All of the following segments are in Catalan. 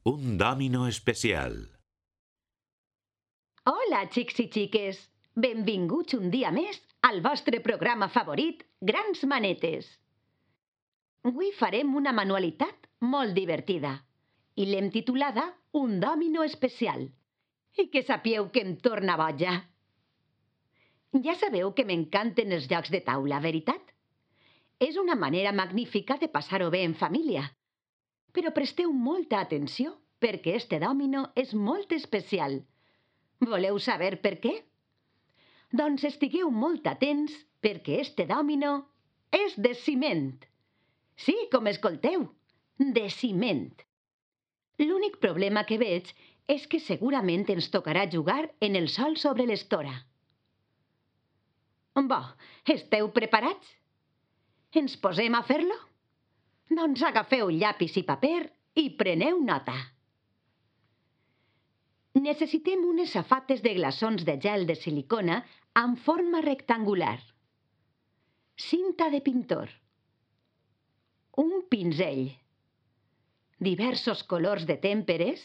Un domino especial. Hola, xics i xiques! Benvinguts un dia més al vostre programa favorit, Grans Manetes. Avui farem una manualitat molt divertida i l'hem titulada Un domino especial. I que sapieu que em torna boja. Ja sabeu que m'encanten els jocs de taula, veritat? És una manera magnífica de passar-ho bé en família. Però presteu molta atenció perquè este domino és molt especial. Voleu saber per què? Doncs estigueu molt atents perquè este domino és de ciment. Sí, com escolteu, de ciment. L'únic problema que veig és que segurament ens tocarà jugar en el sol sobre l'estora. Bo, esteu preparats? Ens posem a fer-lo? Doncs agafeu llapis i paper i preneu nota. Necessitem unes safates de glaçons de gel de silicona amb forma rectangular, cinta de pintor, un pinzell, diversos colors de tèmperes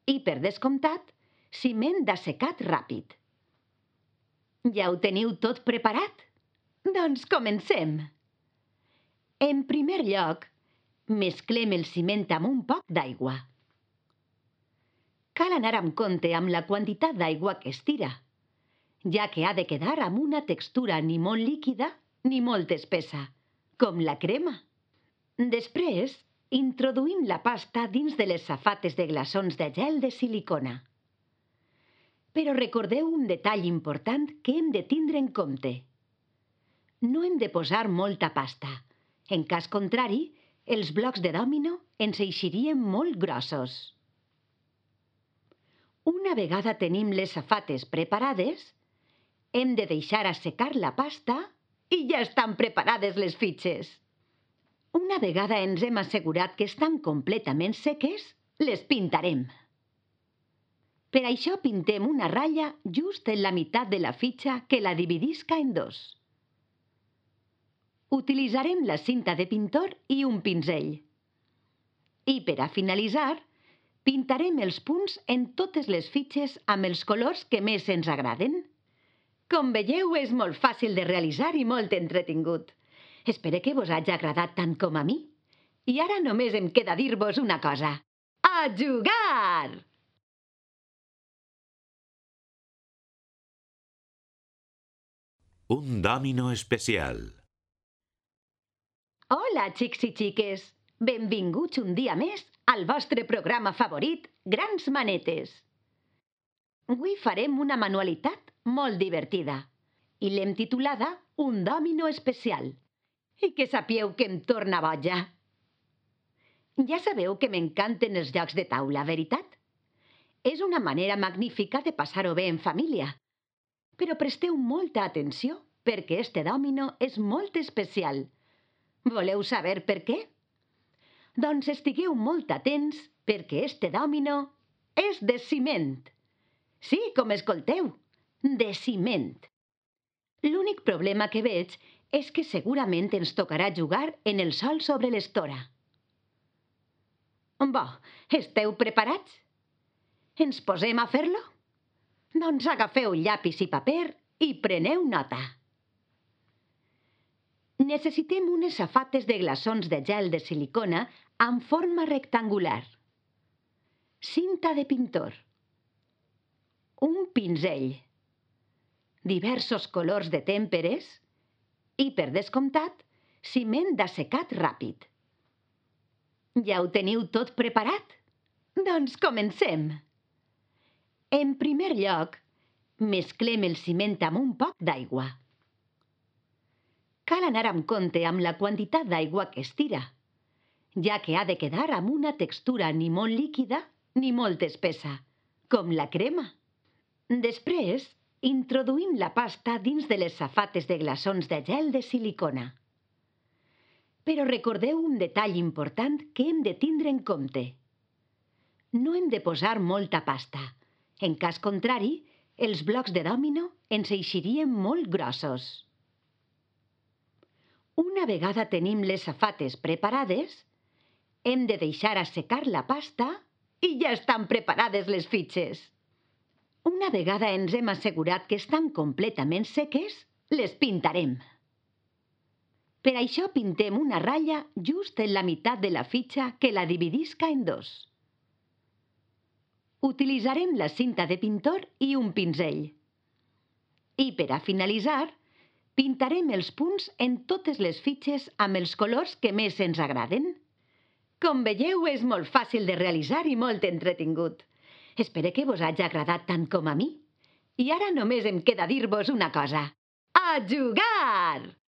i, per descomptat, ciment d'assecat ràpid. Ja ho teniu tot preparat? Doncs comencem! En primer lloc, mesclem el ciment amb un poc d'aigua. Cal anar amb compte amb la quantitat d'aigua que es tira, ja que ha de quedar amb una textura ni molt líquida ni molt espessa, com la crema. Després, introduïm la pasta dins de les safates de glaçons de gel de silicona. Però recordeu un detall important que hem de tindre en compte. No hem de posar molta pasta. En cas contrari, els blocs de dòmino ens eixirien molt grossos. Una vegada tenim les safates preparades, hem de deixar assecar la pasta i ja estan preparades les fitxes. Una vegada ens hem assegurat que estan completament seques, les pintarem. Per això pintem una ratlla just en la meitat de la fitxa que la dividisca en dos. Utilitzarem la cinta de pintor i un pinzell. I per a finalitzar, pintarem els punts en totes les fitxes amb els colors que més ens agraden. Com veieu, és molt fàcil de realitzar i molt entretingut. Espero que vos hagi agradat tant com a mi. I ara només em queda dir-vos una cosa. A jugar! Un domino especial. Hola, xics i xiques! Benvinguts un dia més al vostre programa favorit, Grans Manetes. Avui farem una manualitat molt divertida i l'hem titulada Un domino especial. I que sapieu que em torna boja. Ja sabeu que m'encanten els jocs de taula, veritat? És una manera magnífica de passar-ho bé en família. Però presteu molta atenció perquè este domino és molt especial. Voleu saber per què? Doncs estigueu molt atents perquè este domino és de ciment. Sí, com escolteu, de ciment. L'únic problema que veig és que segurament ens tocarà jugar en el sol sobre l'estora. Bo, esteu preparats? Ens posem a fer-lo? Doncs agafeu llapis i paper i preneu nota. Necessitem unes safates de glaçons de gel de silicona amb forma rectangular, cinta de pintor, un pinzell, diversos colors de tèmperes i, per descomptat, ciment d'assecat ràpid. Ja ho teniu tot preparat? Doncs comencem! En primer lloc, mesclem el ciment amb un poc d'aigua. Cal anar amb compte amb la quantitat d'aigua que es tira, ja que ha de quedar amb una textura ni molt líquida ni molt espessa, com la crema. Després, introduïm la pasta dins de les safates de glaçons de gel de silicona. Però recordeu un detall important que hem de tindre en compte. No hem de posar molta pasta. En cas contrari, els blocs de dòmino ens eixirien molt grossos. Una vegada tenim les safates preparades, hem de deixar assecar la pasta I ja estan preparades les fitxes. Una vegada ens hem assegurat que estan completament seques, les pintarem. Per això pintem una ratlla just en la meitat de la fitxa que la dividisca en dos. Utilitzarem la cinta de pintor i un pinzell. I per a finalitzar, pintarem els punts en totes les fitxes amb els colors que més ens agraden. Com veieu, és molt fàcil de realitzar i molt entretingut. Espero que vos hagi agradat tant com a mi. I ara només em queda dir-vos una cosa. A jugar!